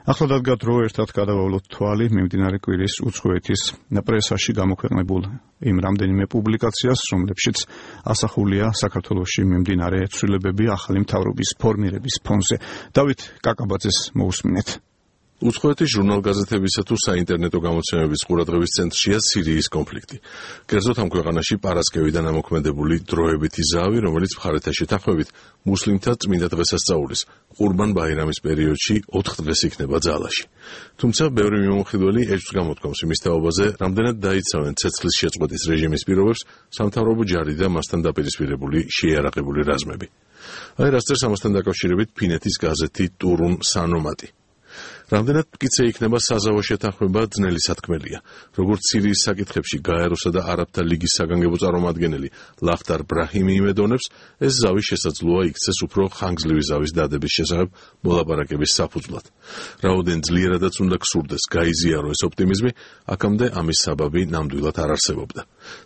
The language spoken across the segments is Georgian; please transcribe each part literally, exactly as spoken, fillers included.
ახლა დადგა დრო ერთად გადავავლოთ თვალი მიმდინარე კვირის უცხოეთის პრესაში გამოქვეყნებულ იმ რამდენიმე პუბლიკაციას, რომლებშიც ასახულია საქართველოში მიმდინარე ცვლილებები ახალი მთავრობის ფორმირების ფონზე. დავით კაკაბაძეს მოусმინეთ. უცხოეთის ჟურნალ-გაზეთებისა თუ საინტერნეტო გამოცემების ყურადღების ცენტრშია სირიის კონფლიქტი. კერძოდ ამ ქვეყანაში პარასკევიდან ამოქმედებული დროებითი ზავი, რომელიც მხარეთა შეთანხმებით მუსლიმთა წმინდა დღესასწაულის ყურბან ბაირამის პერიოდში ოთხ დღეს იქნება ძალაში. თუმცა ბევრი მიმოხილველი ეჭვს გამოთქვამს იმის თაობაზე, რამდენად დაიცავენ ცეცხლის შეწყვეტის რეჟიმის პირობებს სამთავრობო ჯარი და მასთან დაპირისპირებული შეიარაღებული რაზმები. აი რას წერს ამასთან დაკავშირებით ფინეთის გაზეთი ტურუნ სანომატი. რამდენად მტკიცე იქნება საზავო შეთანხმება ძნელი სათქმელია. როგორც სირიის საკითხებში გაეროსა და არაბთა ლიგის საგანგებო წარმომადგენელი ლახტარ ბრაჰიმი იმედონებს, ეს ზავი შესაძლოა იქცეს უფრო ხანგრძლივი ზავის დადების შესახებ მოლაპარაკების საფუძვლად. რაოდენ ძლიერადაც უნდა გსურდეს გაიზიარო ეს ოპტიმიზმი, აქამდე ამის საბაბი ნამდვილად არ არსებობდა.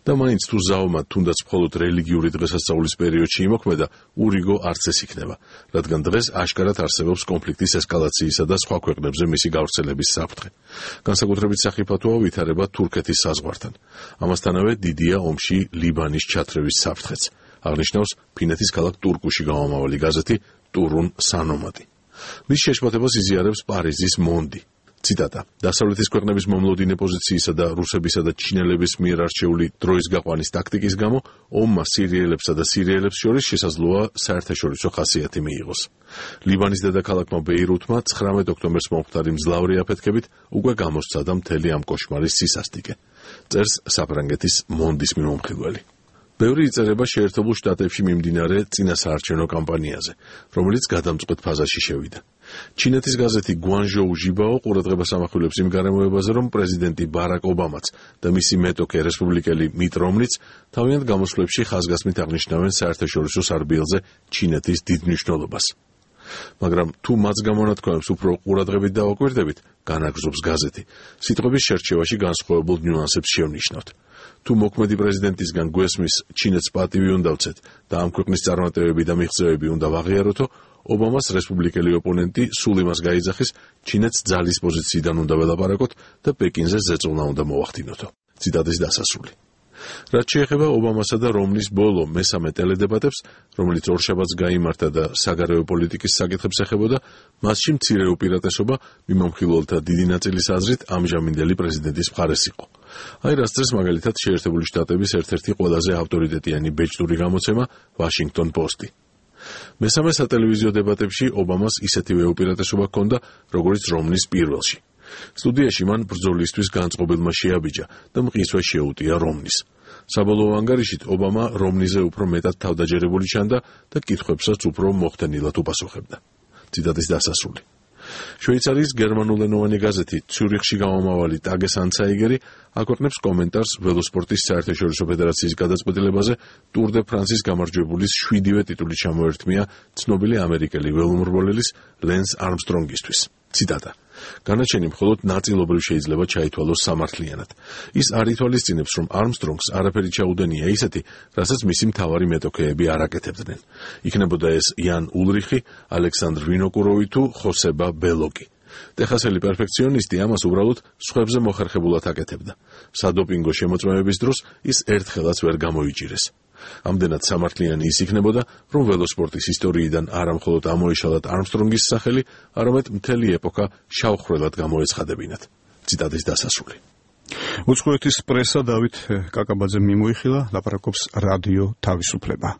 და მაინც თუ ზავმა თუნდაც მხოლოდ რელიგიური დღესასწაულის პერიოდში იმოქმედა, ურიგო არც ეს იქნება, რადგან დღეს აშკარად არსებობს კონფლიქტის ესკალაციისა და სხვა ქვეყნებზე მისი გავრცელების საფრთხე. განსაკუთრებით სახიფათოა ვითარება თურქეთის საზღვართან. ამასთანავე დიდია ომში ლიბანის ჩათრევის საფრთხეც. აღნიშნავს ფინეთის ქალაქ ტურკუში გამომავალი გაზეთი ტურუნ სანომატი. მის შეშფოთებას იზიარებს პარიზის მონდი. ციტატა: დასავლეთის ქვეყნების მომლოდინე პოზიციისა და რუსებისა და ჩინელების მიერ არჩეული დროის გაყვანის ტაქტიკის გამო ომმა სირიელებსა და სირიელებს შორის შესაძლოა საერთაშორისო ხასიათი მიიღოს. ლიბანის დედაქალაქმა ბეირუთმა ცხრამეტ ოქტომბერს მომხდარი მძლავრი აფეთქებით უკვე გამოსცადა მთელი ამ კოშმარის სისასტიკე. წერს საფრანგეთის მონდის მიმომხილველი. ბევრი იწერება შეერთებულ შტატებში მიმდინარე წინასაარჩევნო კამპანიაზე, რომელიც გადამწყვეტ ფაზაში შევიდა. ჩინეთის გაზეთი გუანჟოუ ჟიბაო ყურადღებას ამახვილებს იმ გარემოებაზე, რომ პრეზიდენტი ბარაკ ობამაც და მისი მეტოქე რესპუბლიკელი მიტ რომნიც თავიანთ გამოსვლებში ხაზგასმით აღნიშნავენ საერთაშორისო სარბიელზე ჩინეთის დიდ მნიშვნელობას. მაგრამ თუ მას გამონათქვამებს უფრო ყურადღებით დავაკვირდებით, განაგრძობს გაზეთი, სიტყვების შერჩევაში განსხვავებულ ნიუანსებს შევნიშნავთ. თუ მოქმედი პრეზიდენტისგან გვესმის ჩინეთს პატივი უნდა ვცეთ და ამ ქვეყნის წარმატებები და მიღწევები უნდა ვაღიაროთო, ობამას რესპუბლიკელი ოპონენტი სულ იმას გაიძახის, ჩინეთს ძალის პოზიციიდან უნდა ველაპარაკოთ და პეკინზე ზეწოლა უნდა მოვახდინოთო. ციტატის დასასრული. რაც შეეხება ობამასა და რომნის ბოლო მესამე ტელედებატებს, რომელიც ორშაბათს გაიმართა და საგარეო პოლიტიკის საკითხებს ეხებოდა, მასში მცირე უპირატესობა მიმომხილველთა დიდი ნაწილის აზრით ამჟამინდელი პრეზიდენტის მხარეს იყო. აი რას წერს მაგალითად შეერთებული შტატების ერთ-ერთი ყველაზე ავტორიტეტიანი ბეჭდური გამოცემა ვაშინგტონ პოსტი. მესამე სატელევიზიო დებატებში ობამას ისეთივე უპირატესობა ჰქონდა, როგორც რომნის პირველში. სტუდიაში მან ბრძოლისთვის განწყობილმა შეაბიჯა და მყისვე შეუტია რომნის. საბოლოო ანგარიშით ობამა რომნიზე უფრო მეტად თავდაჯერებული ჩანდა და კითხვებსაც უფრო მოხდენილად უპასუხებდა. ციტატის დასასრული. შვეიცარიის გერმანულენოვანი გაზეთი ციურიხში გამომავალი ტაგეს ანცაიგერი აქვეყნებს კომენტარს ველოსპორტის საერთაშორისო ფედერაციის გადაწყვეტილებაზე ტურ დე ფრანსის გამარჯვებულის შვიდივე ტიტული ჩამოერთმია ცნობილი ამერიკელი ველომრბოლელის ლენს არმსტრონგისთვის. ციტატა: განაჩენი მხოლოდ ნაწილობრივ შეიძლება ჩაითვალოს სამართლიანად. ის არ ითვალისწინებს, რომ არმსტრონგს არაფერი ჩაუდენია ისეთი, რასაც მისი მთავარი მეტოქეები არ აკეთებდნენ. იქნებოდა ეს იან ულრიხი, ალექსანდრ ვინოკუროვი თუ ხოსება ბელოკი. ტეხასელი პერფექციონისტი ამას უბრალოდ სხვებზე მოხერხებულად აკეთებდა. სადოპინგო შემოწმების დროს ის ერთხელაც ვერ გამოიჭირეს. ამდენად სამართლიანი ის იქნებოდა, რომ ველოსპორტის ისტორიიდან არა მხოლოდ ამოეშალათ არმსტრონგის სახელი, არამედ მთელი ეპოქა შავხრელად გამოეცხადებინათ. ციტატის დასასრული. უცხოეთის პრესა დავით კაკაბაძემ მიმოიხილა, ლაპარაკობს რადიო თავისუფლება.